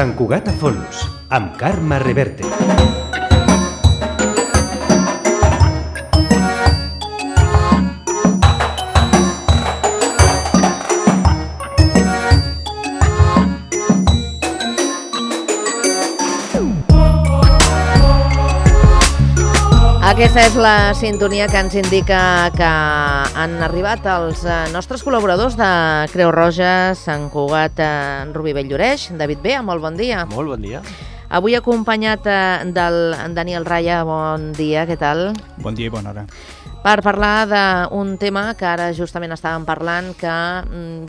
Sant Cugat a Fons, amb Carme Reverte. Aquesta és la sintonia que ens indica que han arribat els nostres col·laboradors de Creu Roja, Sant Cugat, Rubí Bell-lloreix. David Bea, molt bon dia. Molt bon dia. Avui acompanyat del Daniel Raya. Bon dia, què tal? Bon dia i bona hora. Per parlar d'un tema que ara justament estàvem parlant, que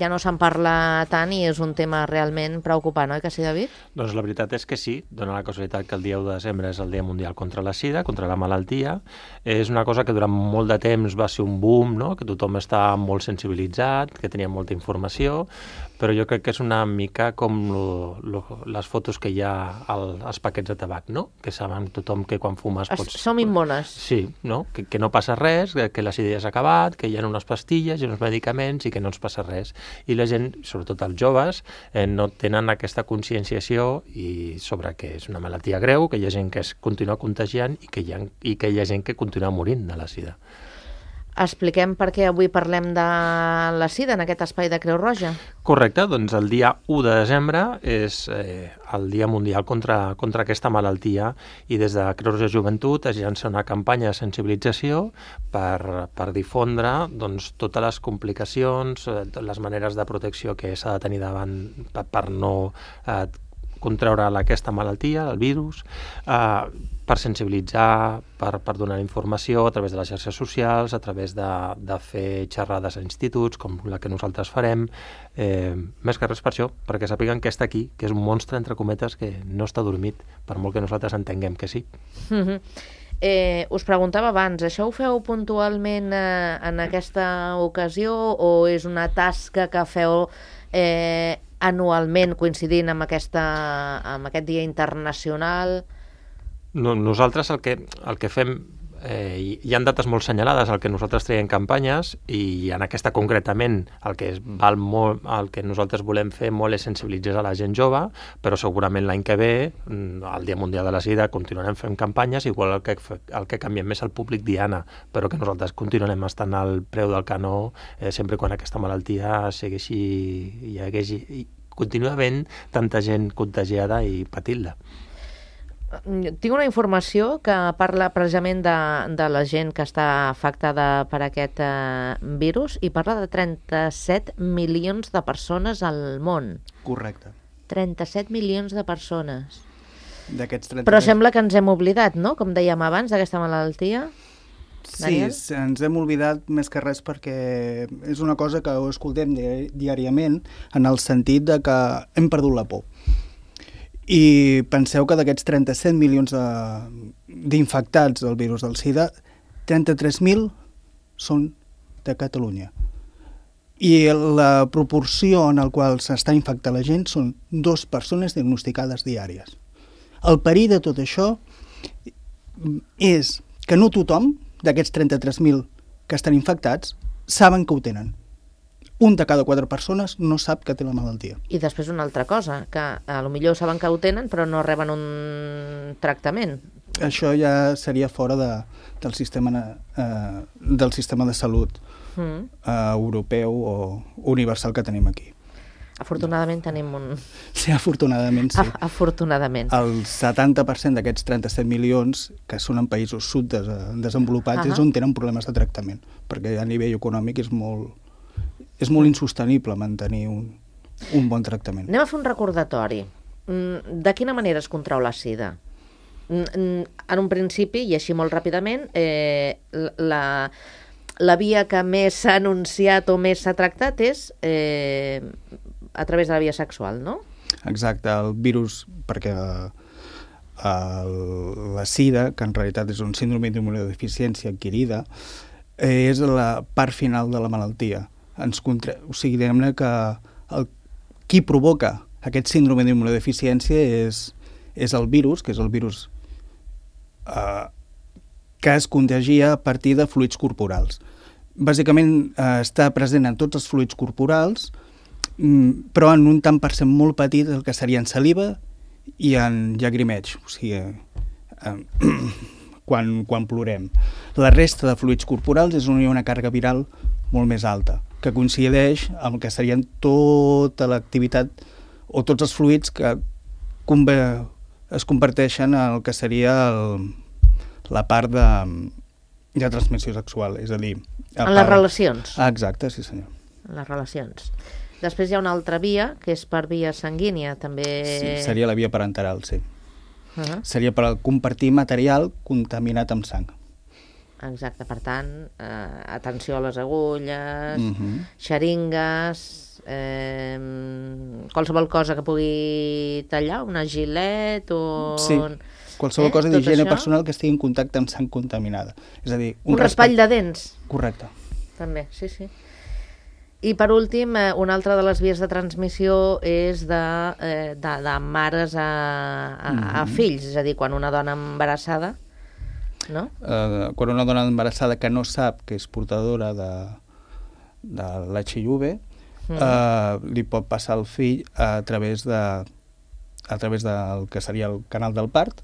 ja no se'n parla tant i és un tema realment preocupant, oi que sí, David? Doncs la veritat és que sí, dona la casualitat que el dia 1 de desembre és el Dia Mundial contra la Sida, contra la malaltia. És una cosa que durant molt de temps va ser un boom, no? Que tothom està molt sensibilitzat, que tenia molta informació, però jo crec que és una mica com les fotos que hi ha als paquets de tabac, no? Que saben tothom que quan fumes pots... Som immunes. Sí, no? Que no passa res, que la sida ja s'ha acabat, que hi ha unes pastilles i uns medicaments i que no ens passa res. I la gent, sobretot els joves, no tenen aquesta conscienciació sobre que és una malaltia greu, que hi ha gent que es continua contagiant i que hi ha gent que continua morint de la sida. Expliquem per què avui parlem de la sida en aquest espai de Creu Roja. Correcte, doncs el dia 1 de desembre és el Dia Mundial contra aquesta malaltia i des de Creu Roja Joventut es llança una campanya de sensibilització per difondre doncs, totes les complicacions, les maneres de protecció que s'ha de tenir davant per no contraure aquesta malaltia, el virus, per sensibilitzar, per donar informació a través de les xarxes socials, a través de fer xerrades a instituts, com la que nosaltres farem, més que res per això, perquè sàpiguen que està aquí, que és un monstre, entre cometes, que no està dormit, per molt que nosaltres entenguem que sí. Us preguntava abans, això ho feu puntualment en aquesta ocasió o és una tasca que feu anualment coincidint amb aquest dia internacional? Nosaltres el que fem, hi ha dates molt senyalades al que nosaltres traiem campanyes i en aquesta concretament el que nosaltres volem fer molt és sensibilitzar a la gent jove, però segurament l'any que ve, el Dia Mundial de la Sida, continuarem fent campanyes, igual el que canviem més el públic diana, però que nosaltres continuarem estant al preu del canó sempre quan aquesta malaltia continua havent tanta gent contagiada i patint-la. Tinc una informació que parla precisament de la gent que està afectada per aquest virus i parla de 37 milions de persones al món. Correcte. 37 milions de persones. D'aquests 37... Però sembla que ens hem oblidat, no?, com dèiem abans, d'aquesta malaltia. Sí, ens hem oblidat més que res perquè és una cosa que ho escoltem diàriament en el sentit de que hem perdut la por. I penseu que d'aquests 37 milions d'infectats del virus del SIDA, 33.000 són de Catalunya. I la proporció en la qual s'està infectant la gent són 2 persones diagnosticades diàries. El perill de tot això és que no tothom d'aquests 33.000 que estan infectats saben que ho tenen. Un de cada 4 persones no sap que té la malaltia. I després una altra cosa, que potser saben que ho tenen però no reben un tractament. Això ja seria fora del sistema de salut europeu o universal que tenim aquí. Afortunadament tenim un... Sí, afortunadament sí. Afortunadament. El 70% d'aquests 37 milions, que són en països subdesenvolupats, és on tenen problemes de tractament, perquè a nivell econòmic és molt insostenible mantenir un bon tractament. Anem a fer un recordatori. De quina manera es contrau la sida? En un principi, i així molt ràpidament, la via que més s'ha anunciat o més s'ha tractat és a través de la via sexual, no? Exacte, el virus, perquè la sida, que en realitat és un síndrome d'immunodeficiència adquirida, és la part final de la malaltia. O sigui, diguem-ne que qui provoca aquest síndrome d'immunodeficiència és el virus, que és el virus que es contagia a partir de fluids corporals. Bàsicament està present en tots els fluids corporals, però en un tant per cent molt petit, el que serien saliva i en llagrimeig, o sigui, quan plorem. La resta de fluids corporals és on hi ha una càrrega viral molt més alta, que coincideix amb el que serien tota l'activitat o tots els fluids que es comparteixen en el que seria la part de transmissió sexual, és a dir... En les relacions. Exacte, sí senyor. En les relacions. Després hi ha una altra via, que és per via sanguínia, també... Sí, seria la via parenteral, sí. Seria per compartir material contaminat amb sang. Exacte, per tant, atenció a les agulles, xeringues, qualsevol cosa que pugui tallar, una gilet o... Sí, qualsevol cosa d'higiene personal que estigui en contacte amb sang contaminada. És a dir, un raspall de dents. Correcte. També, sí. I per últim, una altra de les vies de transmissió és de mares a fills, és a dir, quan una dona embarassada, no? Quan una dona embarassada que no sap que és portadora de l'HIV, li pot passar el fill a través del que seria el canal del part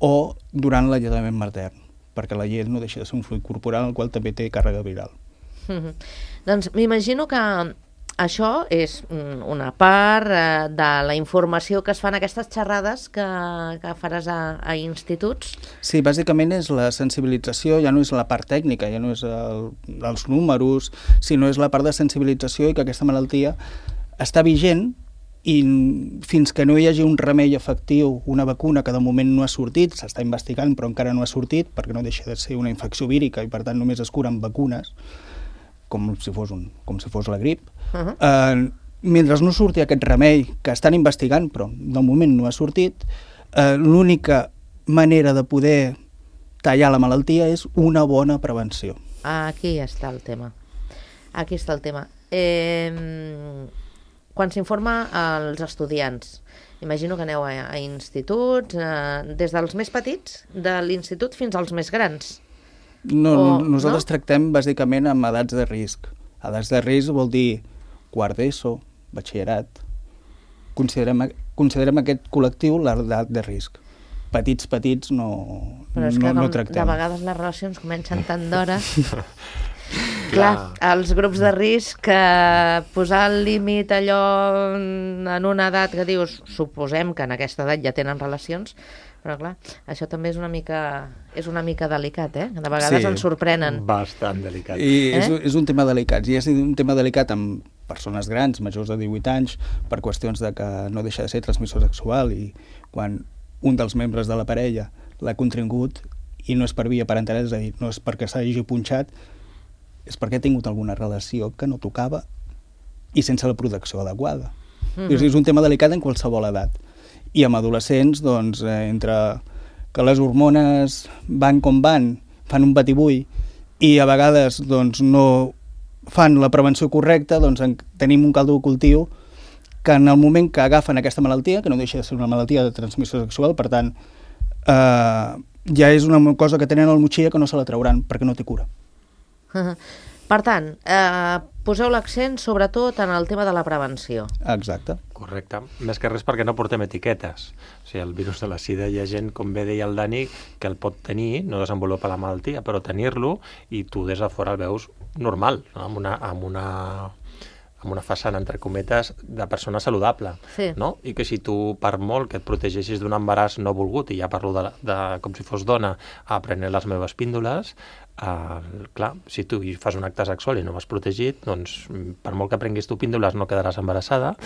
o durant l'alletament matern, perquè la llet no deixa de ser un fluid corporal en el qual també té càrrega viral. Doncs m'imagino que això és una part de la informació que es fan aquestes xerrades que faràs a instituts. Sí, bàsicament és la sensibilització, ja no és la part tècnica, ja no és els números, sinó és la part de sensibilització i que aquesta malaltia està vigent i fins que no hi hagi un remei efectiu, una vacuna que de moment no ha sortit, s'està investigant però encara no ha sortit perquè no deixa de ser una infecció vírica i per tant només es curen vacunes, com si fos la grip. Mentre no surti aquest remei, que estan investigant, però de moment no ha sortit, l'única manera de poder tallar la malaltia és una bona prevenció. Aquí està el tema. Quan s'informa als estudiants, imagino que aneu a instituts, des dels més petits, de l'institut fins als més grans. Nosaltres tractem bàsicament amb edats de risc. Edats de risc vol dir quart d'ESO, batxillerat. Considerem aquest col·lectiu l'edat de risc. Petits no tractem. Però és que de vegades les relacions comencen tant d'hora... Clar, els grups de risc, posar el límit allò en una edat que dius, suposem que en aquesta edat ja tenen relacions, però clar, això també és una mica delicat, de vegades ens sorprenen. Bastant delicat. I és un tema delicat, i és un tema delicat amb persones grans, majors de 18 anys, per qüestions de que no deixa de ser transmissió sexual i quan un dels membres de la parella l'ha contingut i no és per via parenteral, és a dir, no és perquè s'hagi punxat, és perquè ha tingut alguna relació que no tocava i sense la protecció adequada. És un tema delicat en qualsevol edat. I amb adolescents, doncs, entre que les hormones van com van, fan un batibull i a vegades doncs, no fan la prevenció correcta, doncs tenim un caldo de cultiu que en el moment que agafen aquesta malaltia, que no deixa de ser una malaltia de transmissió sexual, per tant, ja és una cosa que tenen al motxilla que no se la trauran perquè no té cura. Per tant, poseu l'accent sobretot en el tema de la prevenció. Exacte. Correcte. Més que res perquè no portem etiquetes. O sigui, el virus de la sida hi ha gent, com bé deia el Dani, que el pot tenir, no desenvolupa la malaltia, però tenir-lo i tu des de fora el veus normal, no? amb una façana, entre cometes, de persona saludable. Sí. No? I que si tu, per molt que et protegeixis d'un embaràs no volgut, i ja parlo de com si fos dona, a prendre les meves píndoles, clar, si tu fas un acte sexual i no vas protegit, doncs per molt que prenguis tu píndoles no quedaràs embarassada,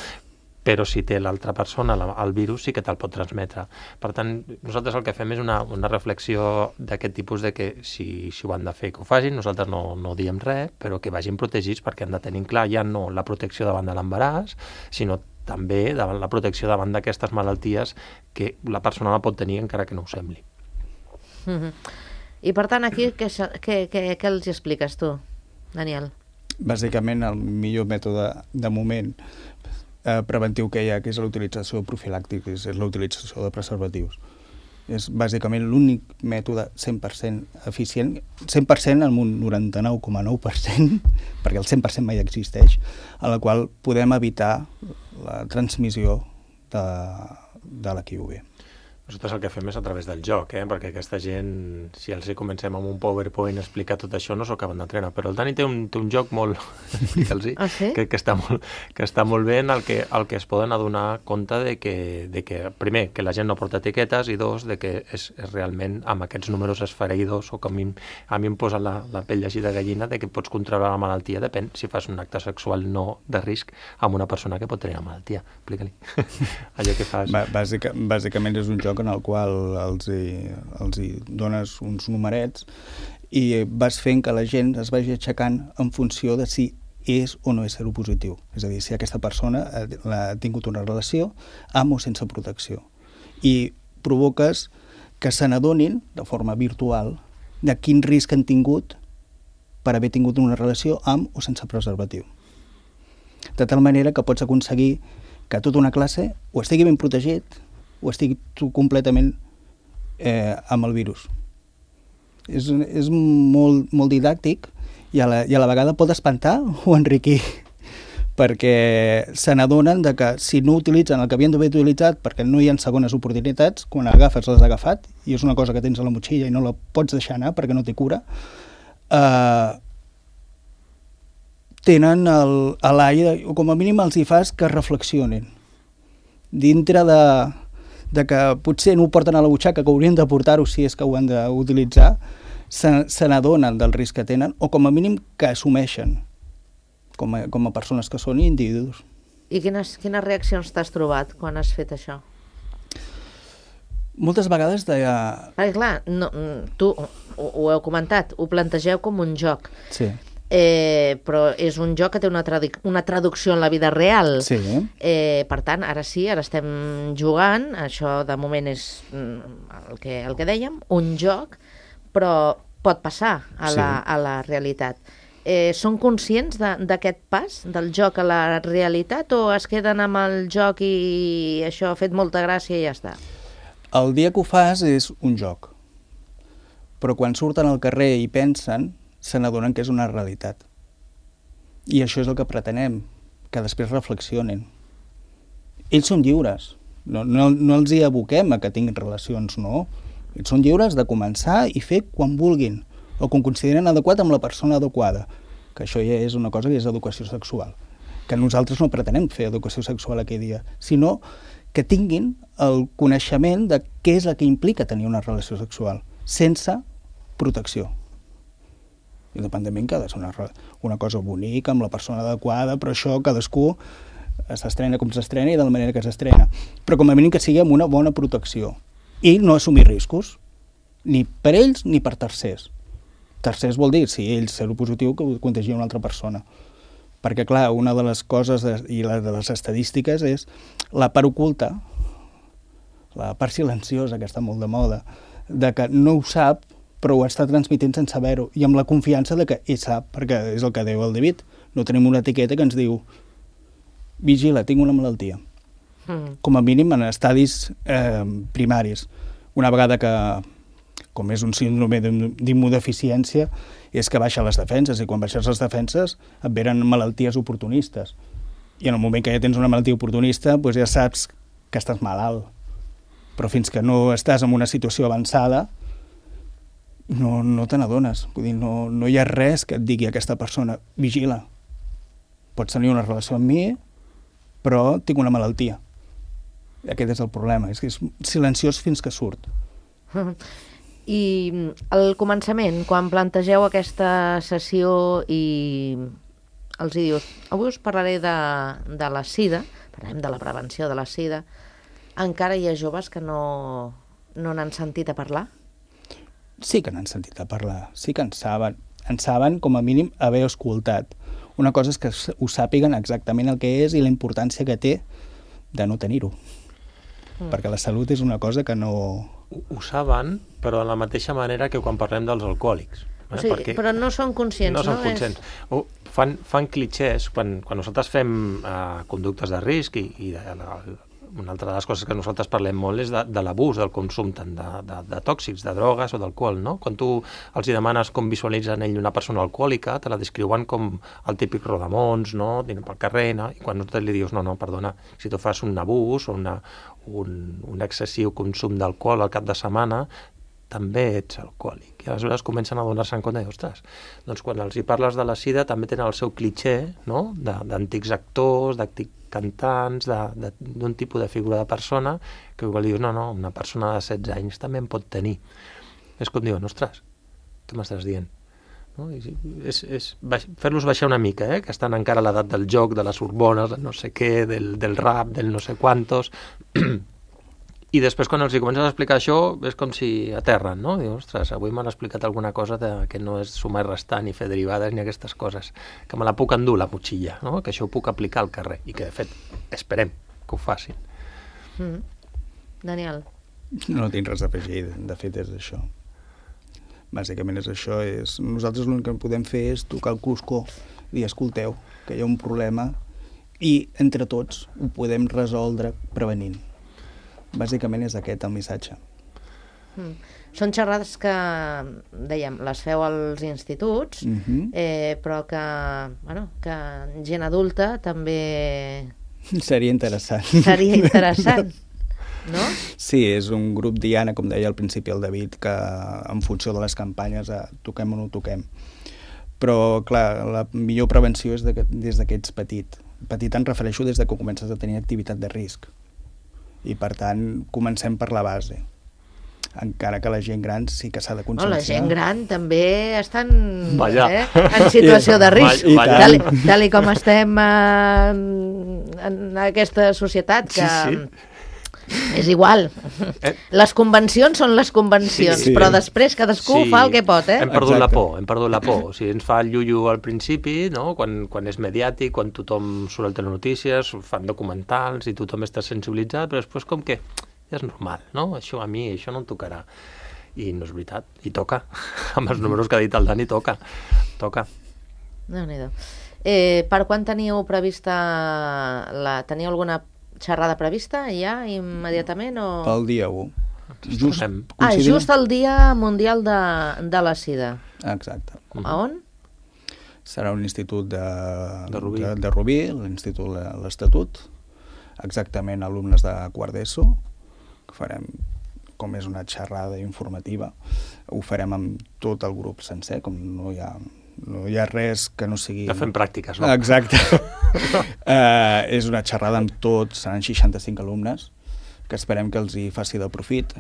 però si té l'altra persona el virus sí que te'l pot transmetre. Per tant, nosaltres el que fem és una reflexió d'aquest tipus de que si ho han de fer que ho facin, nosaltres no diem res, però que vagin protegits perquè han de tenir clar ja no la protecció davant de l'embaràs, sinó també davant la protecció davant d'aquestes malalties que la persona la pot tenir encara que no ho sembli. I per tant aquí què els expliques tu, Daniel? Bàsicament el millor mètode de moment preventiu que hi ha, que és l'utilització profilàctic, és l'utilització de preservatius. És bàsicament l'únic mètode 100% eficient, 100% amb un 99,9%, perquè el 100% mai existeix, a la qual podem evitar la transmissió de la QV. Nosaltres el que fem és a través del joc, perquè aquesta gent, si els hi comencem amb un PowerPoint a explicar tot això, no s'ho acaben d'entrenar. Però el Dani té un joc molt... explica'ls-hi, que està molt bé en el que es poden adonar compte de que, primer, que la gent no porta etiquetes, i dos, de que és realment amb aquests números esfereïdors, o que a mi em posa la pell així de gallina, de que pots contraure la malaltia, depèn si fas un acte sexual no de risc amb una persona que pot tenir la malaltia. Explica-li. Allò que fas... Bàsicament és un joc en el qual els hi dones uns numerets i vas fent que la gent es vagi aixecant en funció de si és o no és seropositiu. És a dir, si aquesta persona ha tingut una relació amb o sense protecció. I provoques que se n'adonin de forma virtual de quin risc han tingut per haver tingut una relació amb o sense preservatiu. De tal manera que pots aconseguir que tota una classe o estigui ben protegit o estigui completament amb el virus. És molt didàctic i a la vegada pot espantar o enriquir, perquè se n'adonen de que si no utilitzen el que havien d'haver utilitzat perquè no hi ha segones oportunitats, quan l'agafes l'has agafat, i és una cosa que tens a la motxilla i no la pots deixar anar perquè no té cura, tenen l'aire, o com a mínim els hi fas que reflexionin. Dintre de que potser no ho porten a la butxaca, que haurien de portar-ho si és que ho han d'utilitzar, se n'adonen del risc que tenen, o com a mínim que assumeixen com a persones que són individus. I quines reaccions t'has trobat quan has fet això? Moltes vegades Perquè clar, tu ho heu comentat, ho plantegeu com un joc. Sí. Però és un joc que té una traducció en la vida real. Sí. Per tant, ara estem jugant, això de moment és el que dèiem, un joc, però pot passar a la realitat. Són conscients d'aquest pas, del joc a la realitat, o es queden amb el joc i això ha fet molta gràcia i ja està? El dia que ho fas és un joc, però quan surten al carrer i pensen, se n'adonen que és una realitat. I això és el que pretenem, que després reflexionin. Ells són lliures, no els hi aboquem a que tinguin relacions, no. Ells són lliures de començar i fer quan vulguin, o quan consideren adequat amb la persona adequada, que això ja és una cosa que és educació sexual, que nosaltres no pretenem fer educació sexual aquell dia, sinó que tinguin el coneixement de què és el que implica tenir una relació sexual, sense protecció. Independentment que ha de ser una cosa bonica, amb la persona adequada, però això cadascú s'estrena com s'estrena i de la manera que s'estrena. Però com a mínim que sigui amb una bona protecció. I no assumir riscos, ni per ells ni per tercers. Tercers vol dir, si ells seropositiu, que ho contagia una altra persona. Perquè, clar, una de les coses i de les estadístiques és la part oculta, la part silenciosa, que està molt de moda, de que no ho sap, però ho està transmitint sense saber-ho, i amb la confiança de que ell sap, perquè és el que diu el David. No tenim una etiqueta que ens diu vigila, tinc una malaltia. Com a mínim en estadis primaris. Una vegada que, com és un síndrome d'immunodeficiència, és que baixa les defenses, i quan baixes les defenses et venen malalties oportunistes. I en el moment que ja tens una malaltia oportunista, doncs ja saps que estàs malalt. Però fins que no estàs en una situació avançada, no te n'adones. Vull dir, no hi ha res que et digui a aquesta persona vigila, pots tenir una relació amb mi, però tinc una malaltia. Aquest és el problema, és que és silenciós fins que surt. I al començament, quan plantegeu aquesta sessió i els hi dius, avui us parlaré de la sida, parlem de la prevenció de la sida, encara hi ha joves que no n'han sentit a parlar? Sí que n'han sentit a parlar, sí que en saben com a mínim haver escoltat. Una cosa és que ho sàpiguen exactament el que és i la importància que té de no tenir-ho. Perquè la salut és una cosa que no... Ho saben, però de la mateixa manera que quan parlem dels alcohòlics. O sigui, però no són conscients, no? No són conscients. Fan clichés, quan nosaltres fem conductes de risc i una altra de les coses que nosaltres parlem molt és de l'abús, del consum tant de tòxics, de drogues o d'alcohol, no? Quan tu els hi demanes com visualitzen ell una persona alcohòlica, te la descriuen com el típic rodamons, no? Dinant pel carrer, no? I quan li dius, no, perdona, si tu fas un abús o un excessiu consum d'alcohol al cap de setmana, també ets alcohòlic. I aleshores comencen a donar-se en compte, ostres, doncs quan els hi parles de la sida també tenen el seu clitxé, no?, d'antics actors, d'antics cantants, d'un tipus de figura de persona, que igual dius, no, una persona de 16 anys també en pot tenir. És com diuen, ostres, què m'estàs dient? No? És fer-los baixar una mica, que estan encara a l'edat del joc, de les hormones, del no sé què, del rap, del no sé quantos... I després, quan els hi comences a explicar això, és com si aterren, no? Dius, ostres, avui m'han explicat alguna cosa que no és sumar i restar, ni fer derivades, ni aquestes coses, que me la puc endur, la motxilla, no? Que això ho puc aplicar al carrer, i que, de fet, esperem que ho facin. Daniel? No tinc res a afegir, de fet és això. Bàsicament és això. Nosaltres l'únic que podem fer és tocar el cruscó i escolteu, que hi ha un problema, i entre tots ho podem resoldre prevenint. Bàsicament és aquest el missatge. Són xerrades que, dèiem, les feu als instituts, però que gent adulta també... Seria interessant. Seria interessant, no? Sí, és un grup diana, com deia al principi el David, que en funció de les campanyes toquem o no toquem. Però, clar, la millor prevenció és des que ets petit. Petit em refereixo des que comences a tenir activitat de risc. I, per tant, comencem per la base. Encara que la gent gran sí que s'ha de conscienciar. La gent gran també estan en situació de risc. Tal com estem en aquesta societat, que és igual. Les convencions són les convencions, però després cadascú fa el que pot. Hem perdut la por. O sigui, ens fa el llullo al principi, no? Quan és mediàtic, quan tothom surt a telenotícies, fan documentals i tothom està sensibilitzat, però després com que ja és normal, no? Això a mi no em tocarà. I no és veritat, i toca. Amb els números que ha dit el Dani, toca. Déu-n'hi-do. Per quan teniu prevista teniu alguna xerrada prevista ja immediatament? Pel dia 1. Just el Dia Mundial de la Sida. Exacte. A on? Serà un institut de Rubí, l'Institut l'Estatut, exactament alumnes de quart d'ESO, que farem, com és una xerrada informativa, ho farem amb tot el grup sencer, com no hi ha res que no sigui... De fem pràctiques, no? Exacte. És una xerrada amb tots, seran 65 alumnes, que esperem que els hi faci de profit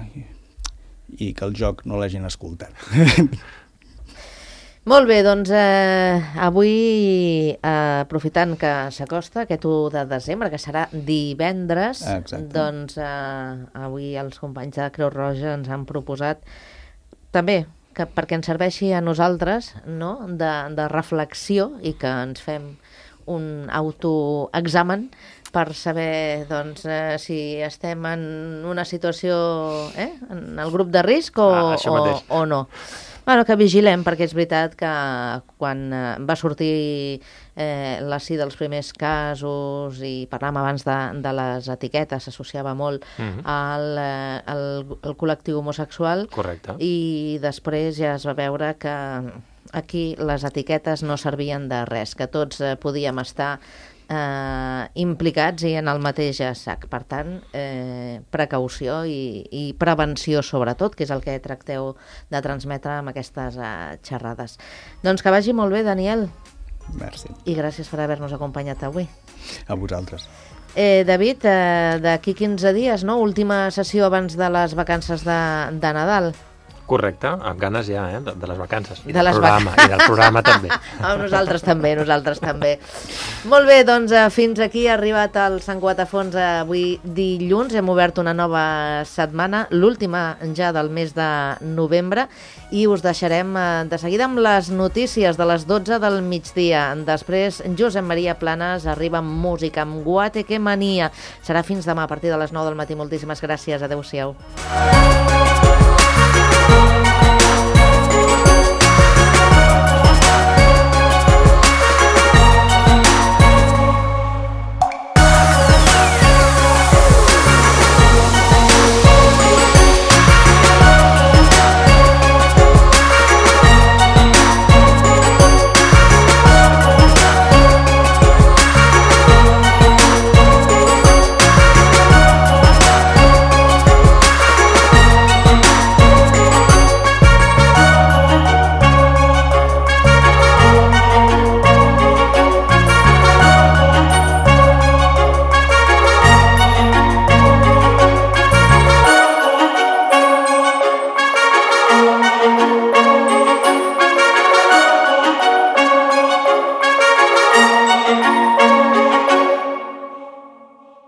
i que el joc no l'hagin escoltat. Molt bé, doncs avui, aprofitant que s'acosta aquest 1 de desembre, que serà divendres, doncs avui els companys de Creu Roja ens han proposat també perquè ens serveixi a nosaltres, no?, de reflexió, i que ens fem un autoexamen per saber, doncs, si estem en una situació, en el grup de risc o no. Bueno, que vigilem, perquè és veritat que quan va sortir la sida dels primers casos, i parlàvem abans de les etiquetes, s'associava molt al col·lectiu homosexual. Correcte. I després ja es va veure que aquí les etiquetes no servien de res, que tots podíem estar implicats i en el mateix sac. Per tant, precaució i prevenció sobretot, que és el que tracteu de transmetre amb aquestes xerrades. Doncs que vagi molt bé, Daniel. Merci. I gràcies per haver-nos acompanyat avui. A vosaltres. David, d'aquí 15 dies, no? Última sessió abans de les vacances de Nadal. Correcte, amb ganes ja, de les vacances. I del programa també. Nosaltres també. Molt bé, doncs fins aquí ha arribat el Sant Cuatafons avui dilluns. Hem obert una nova setmana, l'última ja del mes de novembre, i us deixarem de seguida amb les notícies de les 12 del migdia. Després, Josep Maria Planes arriba amb música, amb Guateque Mania. Serà fins demà a partir de les 9 del matí. Moltíssimes gràcies. Adéu-siau.